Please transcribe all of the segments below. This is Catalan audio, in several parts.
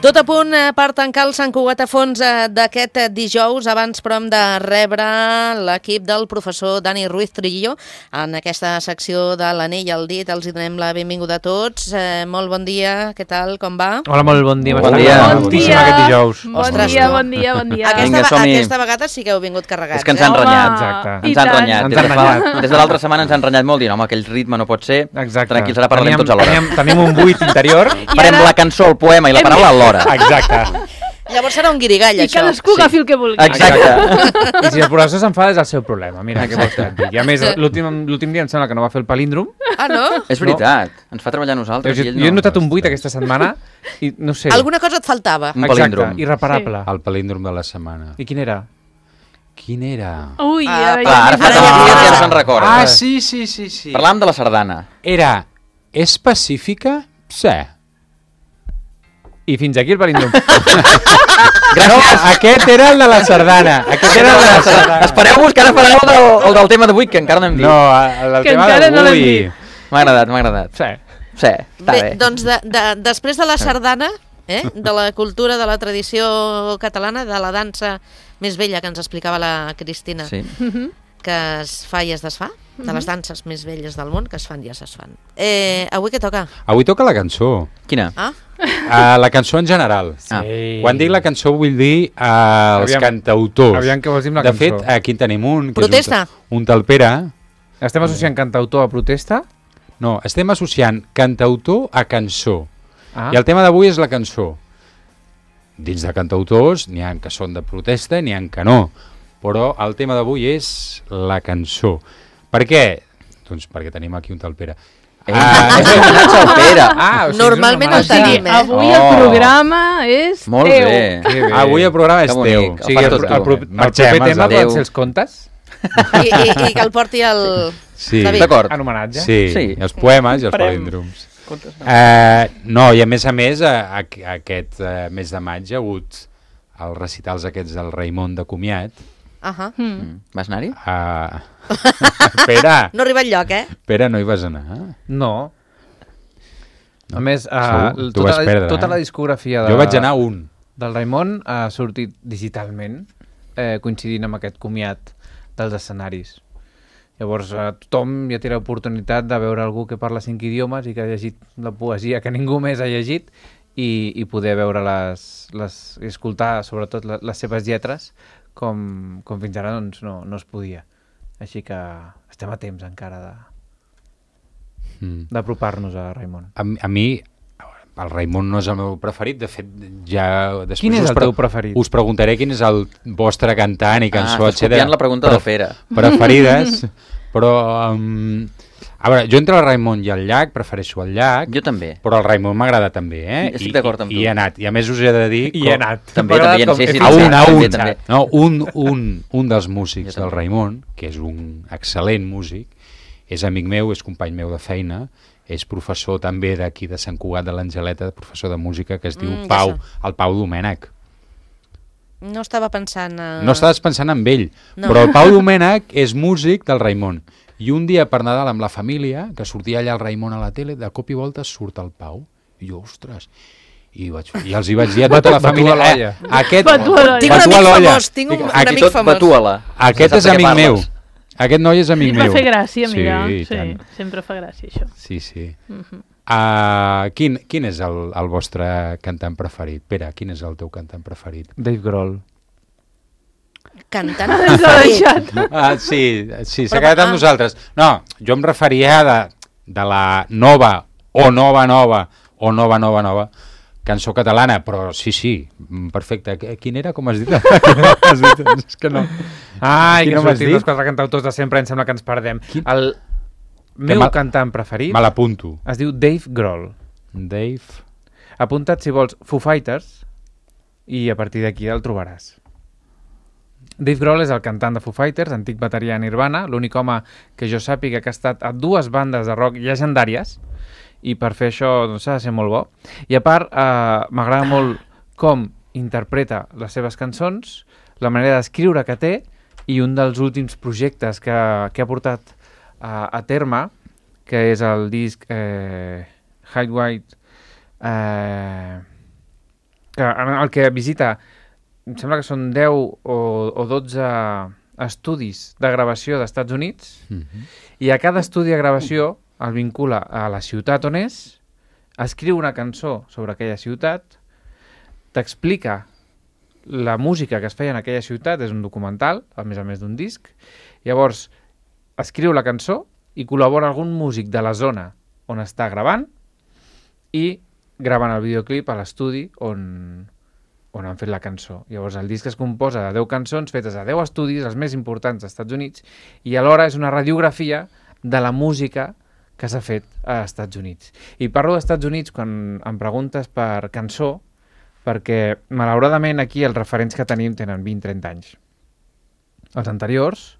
Tot a punt per tancar el Sant Cugat a fons d'aquest dijous. Abans, però, hem de rebre l'equip del professor Dani Ruiz Trillo en aquesta secció de l'anell al dit. Els hi donem la benvinguda a tots. Molt bon dia, què tal, com va? Hola, molt bon dia. Bon dia. Boníssim aquest dijous. Bon dia. Aquesta vegada sí que heu vingut carregats. És que ens han renyat. Exacte. Ens han renyat. Des de l'altra setmana ens han renyat molt, dient, home, aquell ritme no pot ser. Exacte. Tranquils, ara parlarem tots alhora. Tenim un buit interior. Farem la cançó, el poema i la paraula alhora. Exacte. Llavors serà un guirigall, I això. cadascú agafi el que vulgui. Exacte. I si el professor s'enfada és el seu problema. Mira, què vols que et digui. A més, l'últim dia em sembla que no va fer el palíndrom. Ah, no? És veritat. Ens fa treballar a nosaltres i ell no. Jo he notat un buit aquesta setmana i no sé. Alguna cosa et faltava. Un palíndrom. Exacte, irreparable. El palíndrom de la setmana. I quin era? Quin era? Ui, Ara Ara ja se'n recorda. Ah, sí. Parlàvem de la sardana. Era específica? Sí. I fins aquí el palíndrom. No, aquest era el de la sardana. Aquest era el de la sardana. Espereu-vos que ara fareu el del tema d'avui, que encara no hem dit. No, el Que tema encara no l'hem d'avui. dit. M'ha agradat. Sí. Sí, està Bé, bé. doncs després de la sardana, de la cultura, de la tradició catalana, de la dansa més vella que ens explicava la Cristina, Sí. que es fa i es desfà, de les danses més velles del món que es fan i es desfan. Avui què toca? Avui toca la cançó. Quina? Ah? La cançó en general. Ah. Quan dic la cançó vull dir els cantautors. Aviam què vols dir amb la De cançó. fet, aquí en tenim un, que Protesta. és un tal Pere. Estem associant cantautor a protesta? No, estem associant cantautor a cançó. Ah. I el tema d'avui és la cançó. Dins de cantautors n'hi ha que són de protesta, n'hi ha que no. Però el tema d'avui és la cançó. Per què? Doncs perquè tenim aquí un tal Pere. És un homenatge al Pere. O sigui, Normalment és el una homenatge. tenim, Avui el programa és Molt teu. bé. Que bé. Avui el programa és Que bonic. teu. O sigui, el el Marxem, proper tema els poden adeu. ser els contes? I que el porti el Sí. David. D'acord. En homenatge? Sí, els poemes i els Farem. palíndroms. No, i a més, aquest mes de maig hi ha hagut els recitals aquests del Raimon de comiat. Ahà. Vas anar-hi? Pere, No arriba enlloc, Pere, no hi vas anar? No. A més, Segur? T'ho vas perdre, tota la discografia Jo vaig anar a un. del Raimon ha sortit digitalment, coincidint amb aquest comiat dels escenaris. Llavors, tothom ja té l'oportunitat de veure algú que parla 5 idiomes i que ha llegit la poesia que ningú més ha llegit i poder veure i escoltar, sobretot, les seves lletres, com fins ara doncs, no es podia. Així que estem a temps encara d'apropar-nos a Raimon. A mi, el Raimon no és el meu preferit, de fet, ja... Després Quin és el teu preferit? Us preguntaré quin és el vostre cantant i cançó, estàs copiant la pregunta del Pere. Preferides, però... a veure, jo entre el Raimon i el Llach prefereixo el Llach, Jo també. però el Raimon m'agrada també, Estic d'acord amb tu. I he anat, i a més us he de dir... I he anat. També, sí, A un. també. No, un dels músics Jo del també. Raimon, que és un excel·lent músic, és amic meu, és company meu de feina, és professor també d'aquí de Sant Cugat de l'Angeleta, professor de música, que es diu ja el Pau Domènech. No estava pensant... No estaves pensant en ell, No. però el Pau Domènech és músic del Raimon. I un dia per Nadal amb la família, que sortia allà el Raimon a la tele, de cop i volta surt el Pau. I jo, ostres... I els hi vaig dir a tota la família... Batu a l'olla. Aquest... Batu a l'olla. Tinc un Batu a amic l'olla. famós, tinc un Aquí amic Tot famós. batu-a-la. Aquest és Saps de què amic meu. parles? Aquest noi és amic Et meu. va fer gràcia, mira. Sí, Sí, tant. sempre fa gràcia, això. Sí. Quin és el vostre cantant preferit? Pere, quin és el teu cantant preferit? Dave Grohl. Cantant Ens ha deixat. Sí, s'ha Però, quedat amb nosaltres. No, jo em referia de la nova cançó catalana, però sí, perfecte. Quin era, com has dit? És que no. Ai, que Quin m'has sortim dit? els quatre cantautors de sempre, em sembla que ens perdem. Quin? El meu cantant preferit Me l'apunto. es diu Dave Grohl. Dave... Apunta't, si vols, Foo Fighters, i a partir d'aquí el trobaràs. Dave Grohl és el cantant de Foo Fighters, antic bateria de Nirvana, l'únic home que jo sàpiga que ha estat a 2 bandes de rock llegendàries, i per fer això doncs, s'ha de ser molt bo. I a part, m'agrada molt com interpreta les seves cançons, la manera d'escriure que té, i un dels últims projectes que ha portat a terme, que és el disc Hide White el que visita, em sembla que són 10 o 12 estudis de gravació d'Estats Units, i a cada estudi de gravació el vincula a la ciutat on és, escriu una cançó sobre aquella ciutat, t'explica la música que es feia en aquella ciutat, és un documental, a més d'un disc, llavors escriu la cançó i col·labora algun músic de la zona on està gravant i graven el videoclip a l'estudi on han fet la cançó. Llavors el disc es composa de 10 cançons fetes a 10 estudis, els més importants dels Estats Units, i alhora és una radiografia de la música que s'ha fet als Estats Units. I parlo dels Estats Units quan em preguntes per cançó, perquè malauradament aquí els referents que tenim tenen 20-30 anys. Els anteriors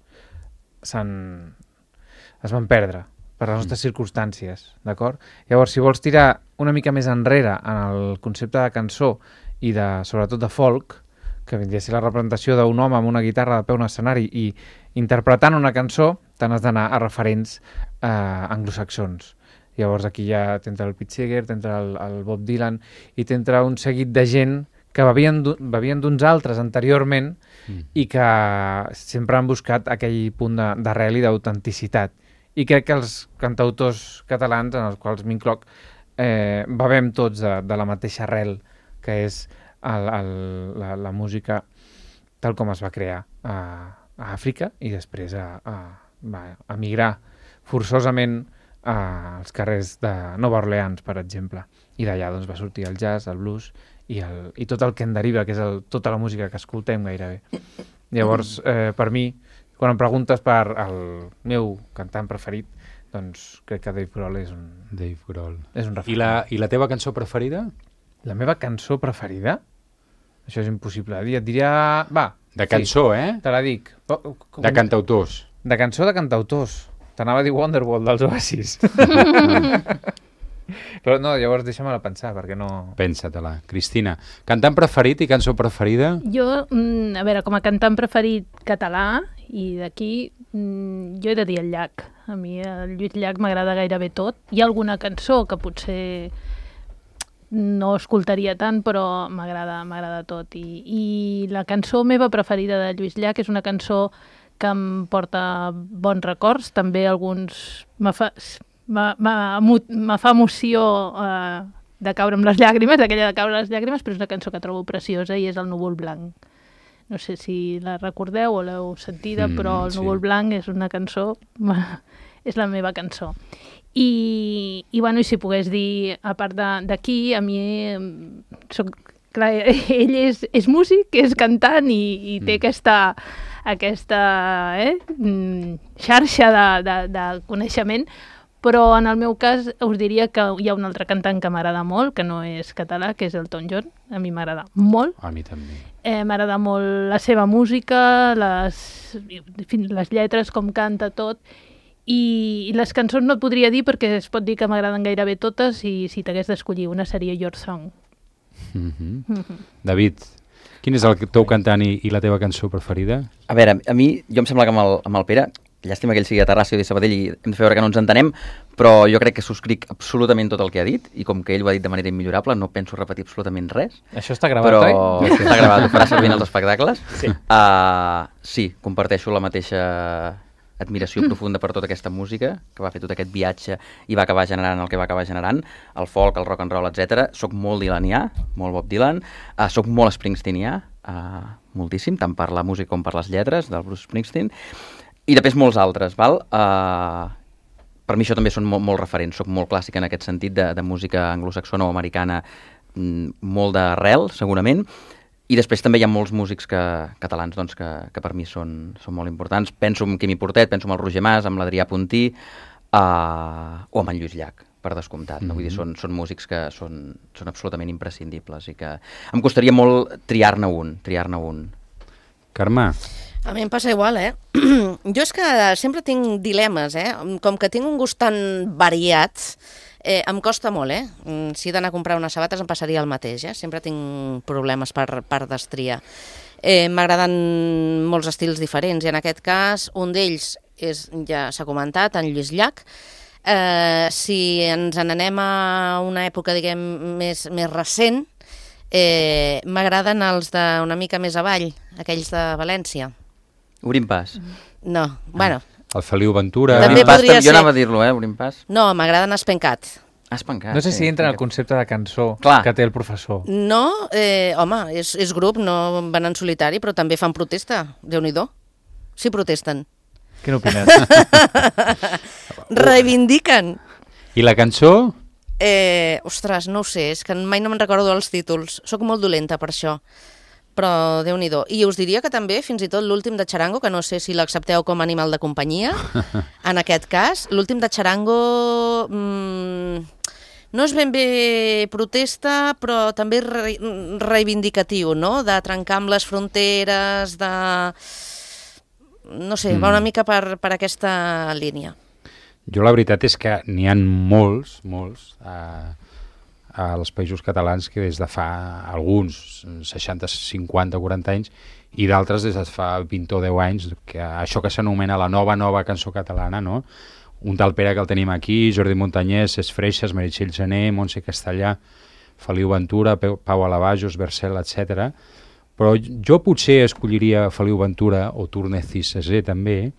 es van perdre per les nostres circumstàncies, d'acord? Llavors, si vols tirar una mica més enrere en el concepte de cançó i sobretot de folk, que vindria a ser la representació d'un home amb una guitarra de peu en un escenari i interpretant una cançó, te n'has d'anar a referents anglosaxons. Llavors aquí ja t'entra el Pete Seeger, t'entra el Bob Dylan i t'entra un seguit de gent que bevien d'uns altres anteriorment i que sempre han buscat aquell punt d'arrel i d'autenticitat. I crec que els cantautors catalans, en els quals m'incloc, bevem tots de la mateixa arrel, que és la música tal com es va crear a Àfrica i després a migrar forçosament als carrers de Nova Orleans, per exemple. I d'allà doncs, va sortir el jazz, el blues i tot el que en deriva, que és tota la música que escoltem gairebé. Llavors, per mi, quan em preguntes per el meu cantant preferit, doncs crec que Dave Grohl és un... Dave Grohl. És un referent. I la teva cançó preferida? La meva cançó preferida? Això és impossible de dir. Et diria... Va. De cançó, sí, te la dic. De cantautors. De cançó de cantautors. T'anava a dir Wonderwall dels Oasis. Però no, llavors deixa-me-la pensar, perquè no... Pensa-te-la. Cristina, cantant preferit i cançó preferida? Jo, a veure, com a cantant preferit català, i d'aquí, jo he de dir el Llach. A mi el Lluís Llach m'agrada gairebé tot. Hi ha alguna cançó que potser no escoltaria tant, però m'agrada tot. I la cançó meva preferida de Lluís Llach és una cançó que em porta bons records, també alguns... Me fa emoció de caure amb les llàgrimes, d'aquella de caure les llàgrimes, però és una cançó que trobo preciosa i és El núvol blanc. No sé si la recordeu o l'heu sentida, però El núvol blanc és una cançó... és la meva cançó. I si pogués dir, a part d'aquí, a mi clar, ell és músic, és cantant i té aquesta xarxa de coneixement, però en el meu cas us diria que hi ha un altre cantant que m'agrada molt, que no és català, que és Elton John. A mi m'agrada molt. A mi també. M'agrada molt la seva música, les lletres, com canta tot. I les cançons no et podria dir perquè es pot dir que m'agraden gairebé totes i si t'hagués d'escollir una seria Your Song. David, quin és el teu cantant i la teva cançó preferida? A veure, a mi, jo em sembla que amb el Pere, llàstima que ell sigui de Terrassa i de Sabadell i hem de fer veure que no ens entenem, però jo crec que subscric absolutament tot el que ha dit i com que ell ho ha dit de manera immillorable no penso repetir absolutament res. Això està gravat, oi? Però està gravat, ho farà servir en els espectacles. Sí. Sí, comparteixo la mateixa admiració profunda per tota aquesta música, que va fer tot aquest viatge i va acabar generant el que va acabar generant, el folk, el rock and roll, etc. Soc molt dilanià, molt Bob Dylan, soc molt springsteenià, moltíssim, tant per la música com per les lletres del Bruce Springsteen, i després molts altres, val? Per mi això també són molt referents, soc molt clàssic en aquest sentit de música anglosaxona o americana, molt d'arrel, segurament, i després també hi ha molts músics catalans doncs, que per mi són molt importants. Penso en Quimi Portet, penso en el Roger Mas, en l'Adrià Puntí o en Lluís Llach, per descomptat. No? Vull dir, són músics que són absolutament imprescindibles i que em costaria molt triar-ne un. Carme? A mi em passa igual, Jo és que sempre tinc dilemes, Com que tinc un gust tan variat, em costa molt, Si he d'anar a comprar unes sabates em passaria el mateix, Sempre tinc problemes per destriar. M'agraden molts estils diferents i en aquest cas un d'ells ja s'ha comentat, en Lluís Llach. Si ens n'anem a una època, diguem, més recent, M'agraden els d'una mica més avall, aquells de València. Obrim pas. No, bueno, El Feliu Ventura... També Obrim pas, podria jo ser. anava a dir-lo, Obrim pas. no, m'agraden Espencat. Espencat. No sé si entra en el concepte de cançó Clar. que té el professor. No, home, és grup, no van en solitari, però també fan protesta, Déu-n'hi-do. Sí, protesten. Què n'opines? Reivindiquen. I la cançó? Ostres, no ho sé, és que mai no me'n recordo dels títols. Soc molt dolenta per això, però Déu-n'hi-do. I us diria que també, fins i tot l'últim de Charango, que no sé si l'accepteu com a animal de companyia, en aquest cas, l'últim de Charango no és ben bé protesta, però també reivindicatiu, no?, de trencar amb les fronteres, de... No sé, va una mica per aquesta línia. Jo la veritat és que n'hi ha molts als països catalans que des de fa alguns 60, 50, 40 anys i d'altres des de fa 20 o 10 anys, que això que s'anomena la nova cançó catalana, no? Un tal Pere que el tenim aquí, Jordi Montanyès, Cesc Freixas, Meritxell Gené, Montse Castellà, Feliu Ventura, Pau Alabajos, Bercel, etc. Però jo potser escolliria Feliu Ventura o Tournecis Cesé també,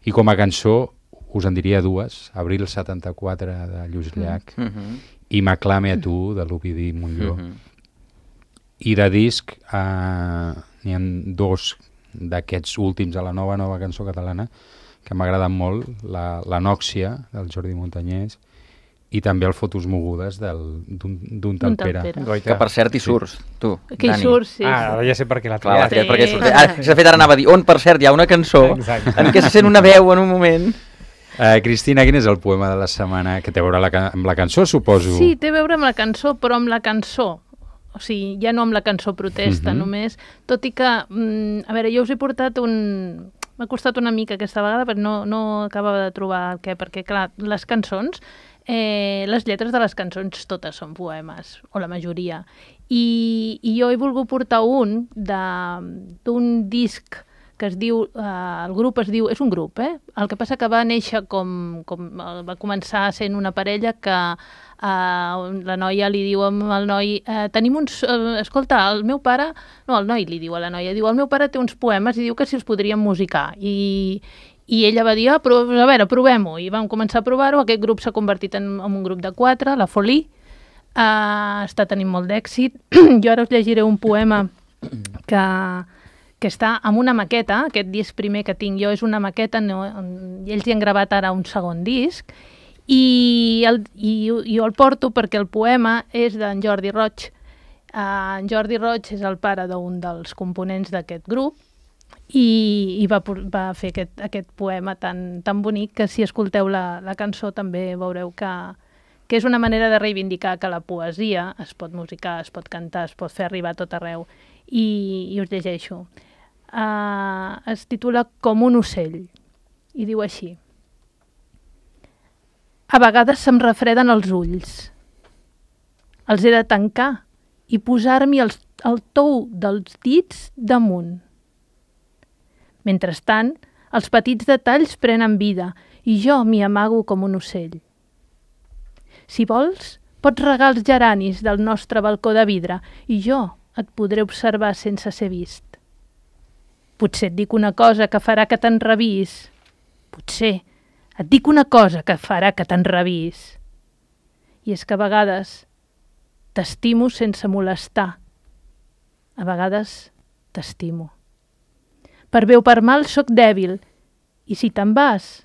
i com a cançó us en diria dues, Abril 74 de Lluís Llach i M'aclame a tu de l'Ovidi Montllor. I de disc n'hi ha dos d'aquests últims de la nova cançó catalana que m'agraden molt, la Nòxia del Jordi Montanyès i també el Fotos mogudes d'un tal Pere. Que per cert hi surts, tu, Que hi Dani. surts, sí. Ara ja sé per què l'ha Clar, triat. sí. Perquè surt. De fet, ara anava a dir, on per cert hi ha una cançó Exacte. en què se sent una veu en un moment. Cristina, quin és el poema de la setmana que té a veure amb la cançó, suposo? Sí, té a veure amb la cançó, però amb la cançó. O sigui, ja no amb la cançó protesta, només. Tot i que, a veure, jo us he portat m'ha costat una mica aquesta vegada, però no acabava de trobar el què, perquè, clar, les cançons, les lletres de les cançons totes són poemes, o la majoria. I jo he volgut portar d'un disc que es diu, el grup es diu, és un grup, el que passa que va néixer com va començar sent una parella que la noia li diu al noi, tenim uns, escolta, el noi li diu a la noia, diu, el meu pare té uns poemes i diu que si els podríem musicar, i ella va dir, però a veure, provem-ho, i vam començar a provar-ho, aquest grup s'ha convertit en un grup de 4, la Folie, està tenint molt d'èxit. Jo ara us llegiré un poema que està amb una maqueta, aquest disc primer que tinc jo és una maqueta, i ells hi han gravat ara un segon disc, i jo el porto perquè el poema és d'en Jordi Roig. En Jordi Roig és el pare d'un dels components d'aquest grup, i va fer aquest poema tan bonic que si escolteu la cançó també veureu que és una manera de reivindicar que la poesia es pot musicar, es pot cantar, es pot fer arribar a tot arreu. I us llegeixo. Es titula Com un ocell i diu així: a vegades se'm refreden els ulls, els he de tancar i posar-m'hi el tou dels dits damunt. Mentrestant, els petits detalls prenen vida i jo m'hi amago com un ocell. Si vols, pots regar els geranis del nostre balcó de vidre i jo et podré observar sense ser vist. Potser et dic una cosa que farà que t'enravis. Potser et dic una cosa que farà que t'enravis. I és que a vegades t'estimo sense molestar. A vegades t'estimo. Per bé o per mal sóc dèbil, i si te'n vas,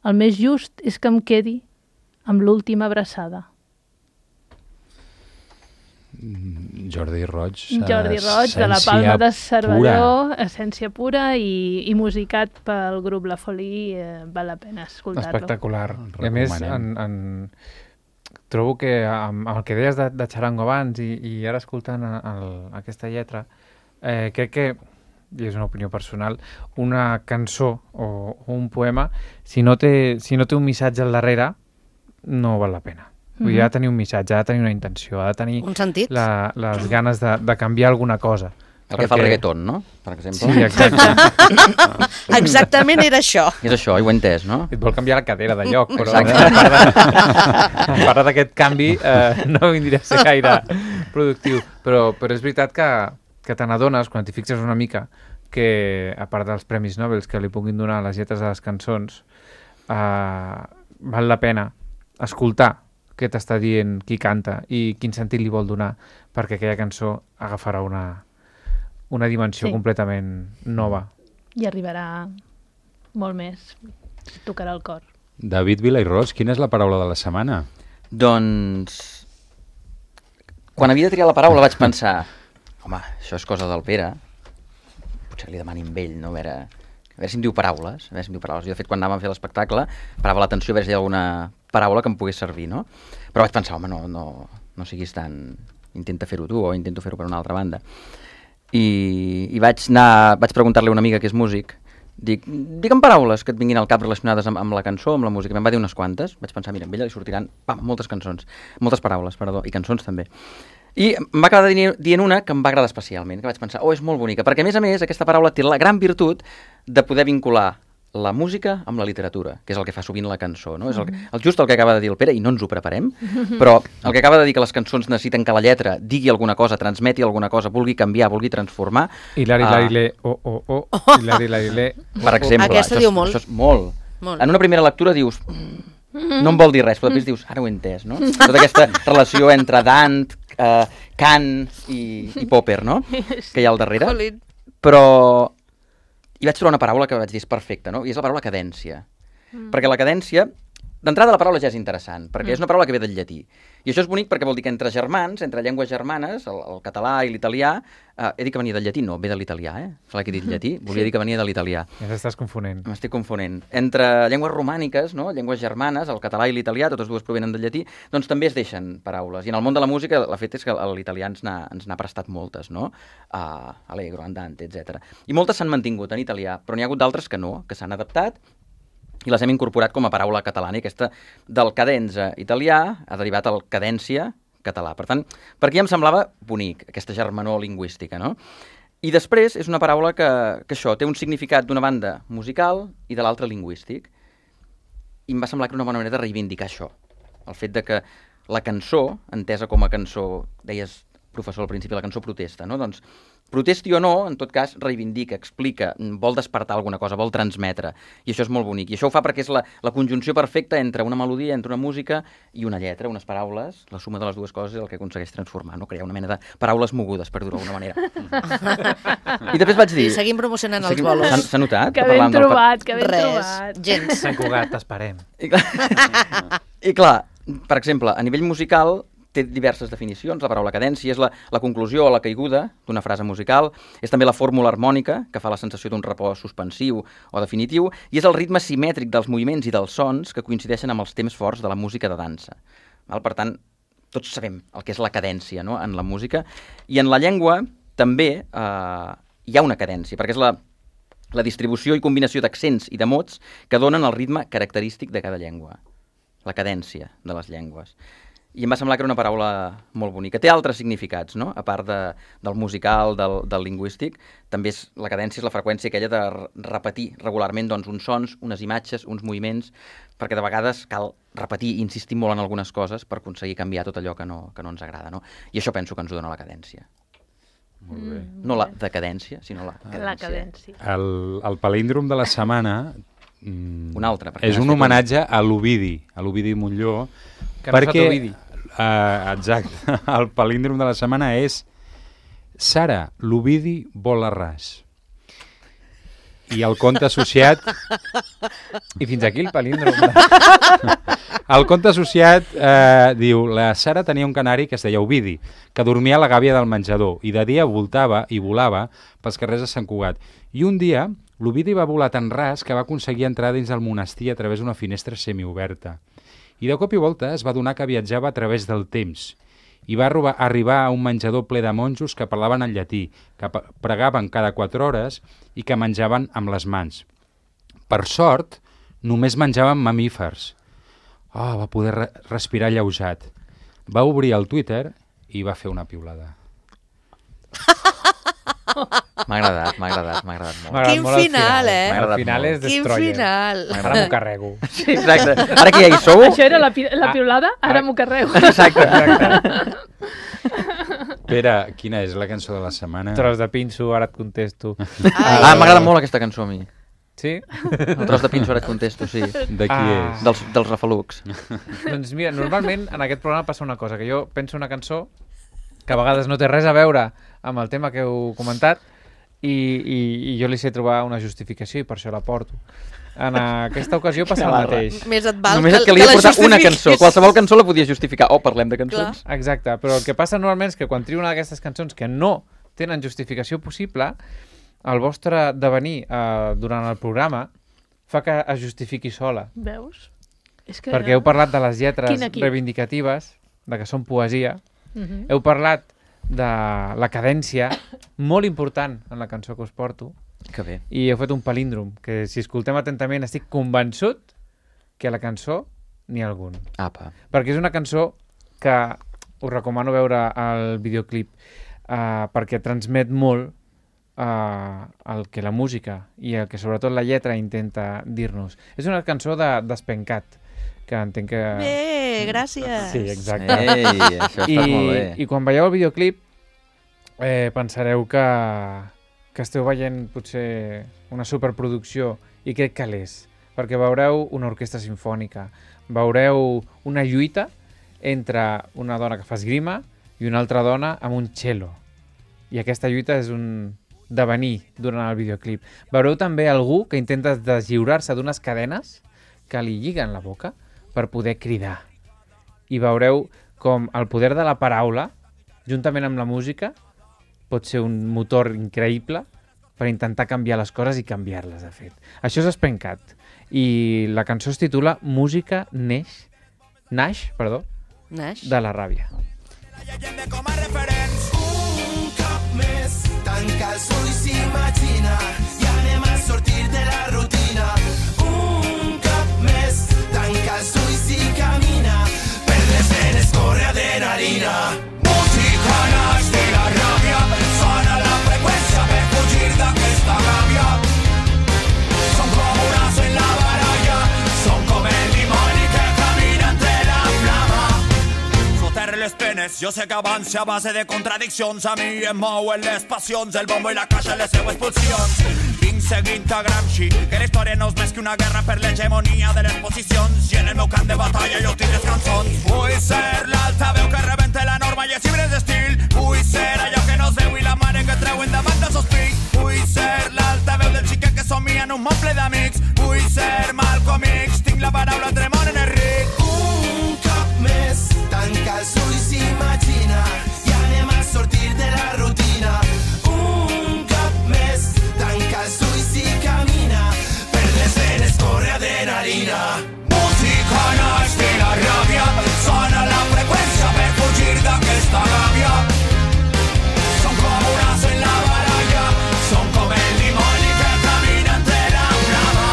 el més just és que em quedi amb l'última abraçada. Jordi Roig, de la Palma de Cervelló, essència pura i musicat pel grup La Folie, val la pena escoltar-lo. Espectacular. I a més, trobo que amb el que deies de Charango abans i ara escoltant aquesta lletra, crec que, i és una opinió personal, una cançó o un poema, si no té un missatge al darrere, no val la pena. Vull dir, ha de tenir un missatge, ha de tenir una intenció, ha de tenir un sentit. Les ganes de canviar alguna cosa. El que fa el reggaeton, no? Per exemple. Sí, exacte. Exactament era això. És això, ho he entès, no? Et vol canviar la cadera de lloc, però a part d'aquest canvi no vindria a ser productiu. Però és veritat que te n'adones, quan t'hi fixes una mica, que a part dels premis Nobel que li puguin donar a les lletres de les cançons, val la pena escoltar què t'està dient qui canta i quin sentit li vol donar, perquè aquella cançó agafarà una dimensió completament nova. I arribarà molt més. Tocarà el cor. David Vilairós, quina és la paraula de la setmana? Doncs, quan havia de triar la paraula vaig pensar, home, això és cosa del Pere, potser li demani amb ell, no? A veure si em diu paraules. Jo, de fet, quan anàvem a fer l'espectacle, parava l'atenció a veure si hi havia alguna paraula que em pogués servir, no? Però vaig pensar, home, no siguis tan... Intenta fer-ho tu o intento fer-ho per una altra banda. I vaig preguntar-li a una amiga que és músic, digue'm paraules que et vinguin al cap relacionades amb la cançó, amb la música. Me'n va dir unes quantes. Vaig pensar, mira, amb ella li sortiran moltes paraules, i cançons també. I em va acabar dient una que em va agradar especialment, que vaig pensar, és molt bonica, perquè a més aquesta paraula té la gran virtut de poder vincular la música amb la literatura, que és el que fa sovint la cançó, no? És just el que acaba de dir el Pere, i no ens ho preparem, però el que acaba de dir que les cançons necessiten que la lletra digui alguna cosa, transmeti alguna cosa, vulgui canviar, vulgui transformar... Hilari-lari-le, hilari-lari-le... Per exemple, aquesta diu molt. Això és molt. En una primera lectura dius... No em vol dir res, però després dius, ara ho he entès, no? Tota aquesta relació entre Dant, Kant i Popper, no? Que hi ha al darrere. Però hi vaig trobar una paraula que vaig dir és perfecta, no? I és la paraula cadència. Perquè la cadència, d'entrada la paraula ja és interessant, perquè és una paraula que ve del llatí. I això és bonic perquè vol dir que entre germans, entre llengües germanes, el català i l'italià, he dit que venia del llatí, no, ve de l'italià, Clar que he dit llatí, volia dir que venia de l'italià. Ja t'estàs confonent. M'estic confonent. Entre llengües romàniques, no, llengües germanes, el català i l'italià, totes dues provenen del llatí, doncs també es deixen paraules. I en el món de la música, la fet és que l'italià ens n'ha prestat moltes, no? Allegro, andante, etc. I moltes s'han mantingut en italià, però n'hi ha hagut d'altres que no, que s'han adaptat i les hem incorporat com a paraula catalana. I aquesta del cadenza italià ha derivat al cadència català. Per tant, per aquí em semblava bonic, aquesta germanor lingüística, no? I després és una paraula que això té un significat d'una banda musical i de l'altra lingüístic. I em va semblar que era una bona manera de reivindicar això. El fet de que la cançó, entesa com a cançó, deies, professor, al principi, la cançó protesta, no? Doncs protesti o no, en tot cas, reivindica, explica, vol despertar alguna cosa, vol transmetre. I això és molt bonic. I això ho fa perquè és la conjunció perfecta entre una melodia, entre una música i una lletra, unes paraules. La suma de les dues coses és el que aconsegueix transformar, no? Crear una mena de paraules mogudes, per dir-ho d'alguna manera. I després vaig dir... I seguim promocionant els bolos. S'ha notat? Que ben trobat, que ben trobat. Gens. Sant Cugat, t'esperem. I clar, per exemple, a nivell musical... té diverses definicions. La paraula cadència és la conclusió o la caiguda d'una frase musical, és també la fórmula harmònica, que fa la sensació d'un repòs suspensiu o definitiu, i és el ritme simètric dels moviments i dels sons que coincideixen amb els temps forts de la música de dansa. Per tant, tots sabem el que és la cadència, no?, en la música, i en la llengua també hi ha una cadència, perquè és la distribució i combinació d'accents i de mots que donen el ritme característic de cada llengua, la cadència de les llengües. I em va semblar que era una paraula molt bonica. Té altres significats, no?, a part del musical, del lingüístic. També la cadència és la freqüència aquella de repetir regularment doncs, uns sons, unes imatges, uns moviments, perquè de vegades cal repetir i insistir molt en algunes coses per aconseguir canviar tot allò que no ens agrada, no? I això penso que ens ho dona la cadència. Molt bé. No la decadència, sinó la cadència. La cadència. El palíndrom de la setmana un altre, és un homenatge a l'Ovidi Montllor, que perquè exacte, el palíndrom de la setmana és Sara, l'Ovidi vol a ras. I el conte associat... I fins aquí el palíndrom. El conte associat diu: la Sara tenia un canari que es deia Ovidi, que dormia a la gàbia del menjador i de dia voltava i volava pels carrers de Sant Cugat. I un dia l'Ovidi va volar tan ras que va aconseguir entrar dins del monestir a través d'una finestra semioberta. I de cop i volta es va adonar que viatjava a través del temps i va arribar a un menjador ple de monjos que parlaven en llatí, que pregaven cada 4 hores i que menjaven amb les mans. Per sort, només menjaven mamífers. Va poder respirar alleujat. Va obrir el Twitter i va fer una piulada. M'ha agradat molt. Quin final, El final és Destroyer. Quin final. Ara m'ho carrego. Sí, exacte. Ara que ja hi sou... Això era la piulada, ara m'ho carrego. Exacte. Espera, quina és la cançó de la setmana? Tros de pinso, ara et contesto. M'agrada molt aquesta cançó a mi. Sí? El tros de pinso, ara et contesto, sí. De qui és? Dels Refalux. Doncs mira, normalment en aquest programa passa una cosa, que jo penso una cançó que a vegades no té res a veure amb el tema que heu comentat i jo li sé trobar una justificació i per això la porto. En aquesta ocasió passa el mateix. Més et val Només et calia portar una cançó. Qualsevol cançó la podies justificar. Parlem de cançons. Exacte, però el que passa normalment és que quan trio una d'aquestes cançons que no tenen justificació possible, el vostre devenir durant el programa fa que es justifiqui sola. Veus? És que... Perquè heu parlat de les lletres reivindicatives, de que són poesia, heu parlat de la cadència, molt important en la cançó que us porto, que bé. I heu fet un palíndrom, que si escoltem atentament estic convençut que a la cançó n'hi ha algun. Apa. Perquè és una cançó que us recomano veure el videoclip, perquè transmet molt el que la música i el que sobretot la lletra intenta dir-nos. És una cançó d'Espencat, que entenc que... Bé, gràcies. Sí, exacte. Ei, això està molt bé. I quan veieu el videoclip pensareu que esteu veient potser una superproducció, i crec que l'és, perquè veureu una orquestra sinfònica, veureu una lluita entre una dona que fa esgrima i una altra dona amb un cello. I aquesta lluita és un devenir durant el videoclip. Veureu també algú que intenta deslliurar-se d'unes cadenes que li lliguen la boca per poder cridar. I veureu com el poder de la paraula, juntament amb la música, pot ser un motor increïble per intentar canviar les coses i canviar-les, de fet. Això és Espencat. I la cançó es titula Música naix de la ràbia. Un cop més, tanca els ulls i imagina, i anem a sortir de la rutina. Un cop més, tanca els ulls i camina, per les venes corre adrenalina. Música naix de la ràbia, sona la freqüència per fugir d'aquesta gàbia. Som com un as en la baralla, som com el dimoni que camina entre la flama. Fotre les penes, jo sé que avance a base de contradiccions, a mi em mouen les passions, el bombo i la caixa les seues pulsions. Vinc seguint a Gramsci, que la història no és més que una guerra per l'hegemonia de les posicions, i en el meu camp de batalla jo tinc les cançons. Vull ser l'altaveu que rebente la norma i els llibres d'estil, vull ser allò que no es veu i la mare que treuen davant dels seus fills, vull ser l'altaveu del xiquet que somia en un món ple d'amics, vull ser Malcolm X, tinc la paraula entre món en el ric. Un cop més, tanca els ulls i imagina, i anem a sortir de la rutina. Un cop més, tanca els ulls i camina, per les venes corre adrenalina. Música naix de la ràbia, sona la freqüència per fugir d'aquesta gàbia. Som com un as en la baralla, som com el dimoni que camina entre la flama.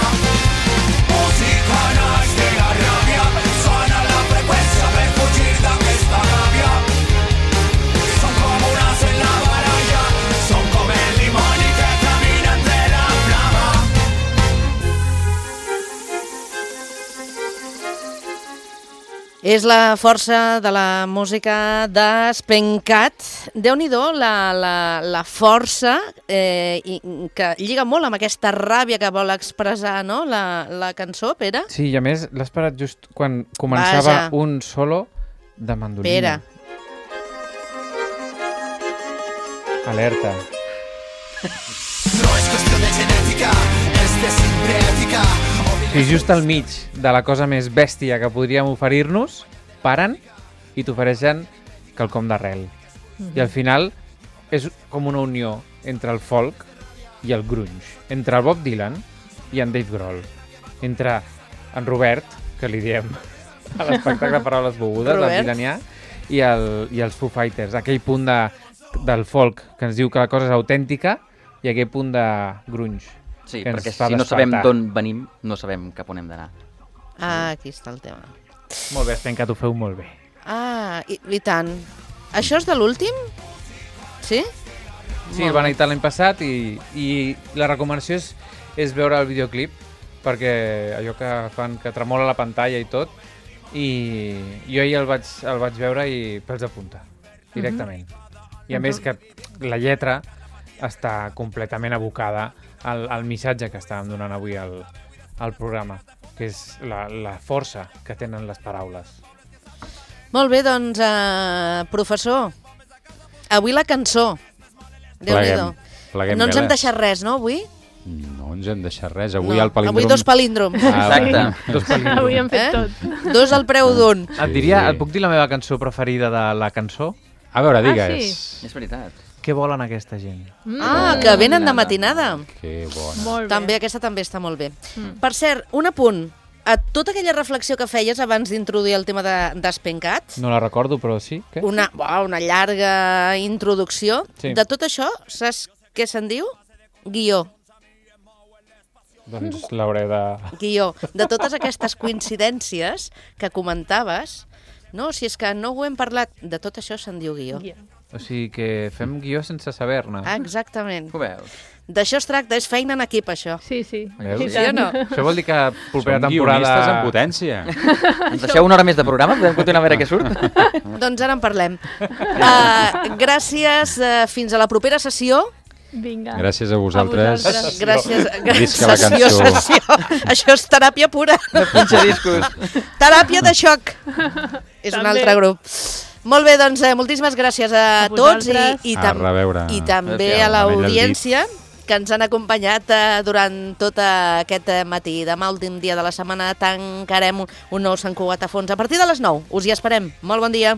Música naix de la ràbia, sona la freqüència per fugir d'aquesta gàbia. Som com un as en la baralla, som com el dimoni que camina entre la flama. És la força de la música d'Espencat. Déu-n'hi-do la força que lliga molt amb aquesta ràbia que vol expressar, no? la cançó, Pere. Sí, i a més l'has parat just quan començava un solo de mandolina. Pere. Alerta. No és qüestió de genètica, és de sintètica. I just al mig de la cosa més bèstia que podríem oferir-nos, paren i t'ofereixen quelcom d'arrel. I al final és com una unió entre el folk i el grunge, entre el Bob Dylan i en Dave Grohl, entre en Robert, que li diem a l'espectacle Paraules Begudes, el Dylanià, i els Foo Fighters, aquell punt del folk que ens diu que la cosa és autèntica i aquell punt de grunge. Sí, perquè si no sabem d'on venim, no sabem cap on hem d'anar. Aquí està el tema. Molt bé, Espencat, ho feu molt bé. I tant. Això és de l'últim? Sí? Sí, el van editar l'any passat i la recomanació és veure el videoclip, perquè allò que fan, que tremola la pantalla i tot, i jo ahir el vaig veure i pels de punta, directament. I a més que la lletra està completament abocada al missatge que estàvem donant avui al programa, que és la força que tenen les paraules. Molt bé, doncs, professor, avui la cançó. Déu-n'hi-do. No ens hem deixat res, no, avui? No ens hem deixat res. Avui el palíndrom... Avui 2 palíndroms. Exacte. Dos palíndroms. Avui hem fet tot. 2 al preu d'un. Et puc dir la meva cançó preferida de la cançó? A veure, digues. sí? És veritat. Què volen aquesta gent? Que venen de matinada. Que bona. Molt bé. També, aquesta també està molt bé. Per cert, un apunt. A tota aquella reflexió que feies abans d'introduir el tema d'Espencat, No la recordo, però sí. Què? una llarga introducció, Sí. de tot això, saps què se'n diu? Guió. Doncs l'hauré de... Guió. De totes aquestes coincidències que comentaves, no, si és que no ho hem parlat, de tot això se'n diu guió. O sigui que fem guió sense saber-ne. Exactament. Ho veus? D'això es tracta, és feina en equip, això. Sí, sí. Veus? I Sí o tant. no? Això vol dir que propera Som guionistes en temporada... potència. Ens deixeu una hora més de programa? Podem continuar a veure què surt? Doncs ara en parlem. Gràcies, fins a la propera sessió. Vinga. Gràcies a vosaltres. vosaltres. Gràcies. Visca la Sessió, cançó. sessió. Això és teràpia pura. Pinxa discos. Teràpia de xoc. És un També. altre grup. Molt bé, doncs moltíssimes gràcies a tots vosaltres. A reveure. i també Adéu-siau. a l'audiència que ens han acompanyat durant tot aquest matí. Demà, últim dia de la setmana, tancarem un nou Sant Cugat a fons a partir de les 9. Us hi esperem. Molt bon dia.